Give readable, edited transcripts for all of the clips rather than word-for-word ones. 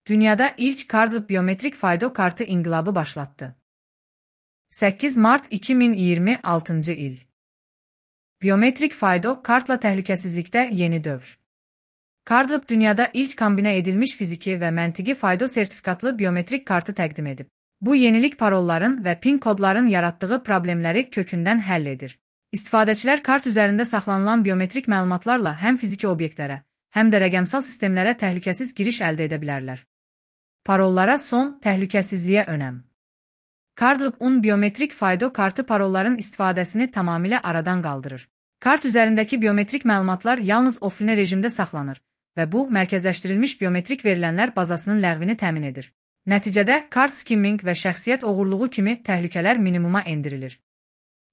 Dünyada ilk Cardlib biyometrik faydo kartı inqilabı başlattı. 8 Mart 2026 il. Biyometrik faydo kartla təhlükəsizlikdə yeni dövr. Cardlib dünyada ilk kombinə edilmiş fiziki və məntiqi faydo sertifikatlı biyometrik kartı təqdim edib. Bu yenilik parolların və PIN kodların yaratdığı problemləri kökündən həll edir. İstifadəçilər kart üzərində saxlanılan biyometrik məlumatlarla həm fiziki obyektlərə, həm də rəqəmsal sistemlərə təhlükəsiz giriş əldə edə bilərlər. Parollara son, təhlükəsizliyə önəm. Cardlib biyometrik faydo kartı parolların istifadəsini tamamilə aradan qaldırır. Kart üzərindəki biyometrik məlumatlar yalnız offline rejimdə saxlanır və bu, mərkəzləşdirilmiş biyometrik verilənlər bazasının ləğvini təmin edir. Nəticədə, kart skimming və şəxsiyyət oğurluğu kimi təhlükələr minimuma endirilir.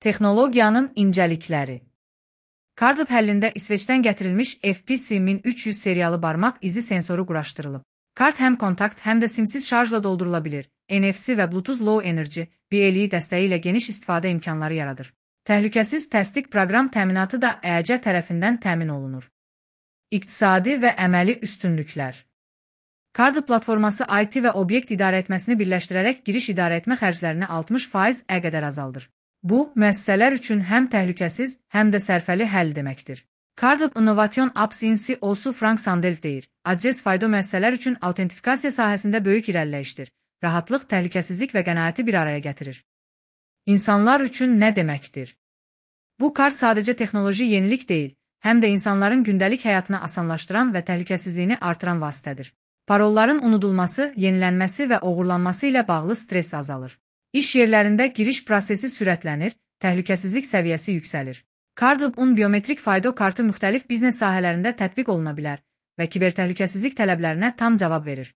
Texnologiyanın incəlikləri. Cardlib həllində İsveçdən gətirilmiş FPC-1300 seriyalı barmaq izi sensoru quraşdırılıb. Kart həm kontakt, həm də simsiz şarjla doldurula bilir. NFC və Bluetooth Low Energy BLE dəstəyi ilə geniş istifadə imkanları yaradır. Təhlükəsiz təsdiq proqram təminatı da EAC tərəfindən təmin olunur. İqtisadi və əməli üstünlüklər. Cardlib platforması IT və obyekt idarə etməsini birləşdirərək giriş idarə etmə xərclərini 60% qədər azaldır. Bu, müəssisələr üçün həm təhlükəsiz, həm də sərfəli həll deməkdir. Cardlib Innovation Apps Inc. Osu Frank Sandelf deyir, ACS faydo müəssisələr üçün autentifikasiya sahəsində böyük irəliləyişdir. Rahatlıq, təhlükəsizlik və qənaəti bir araya gətirir. İnsanlar üçün nə deməkdir? Bu kart sadəcə texnoloji yenilik deyil, həm də insanların gündəlik həyatını asanlaşdıran və təhlükəsizliyini artıran vasitədir. Parolların unudulması, yenilənməsi və oğurlanması ilə bağlı stress azalır. İş yerlərində giriş prosesi sürətlənir, təhlükəsizlik səviyyəsi yüksəlir. Cardlib biyometrik faydo kartı müxtəlif biznes sahələrində tətbiq oluna bilər və kibertəhlükəsizlik tələblərinə tam cavab verir.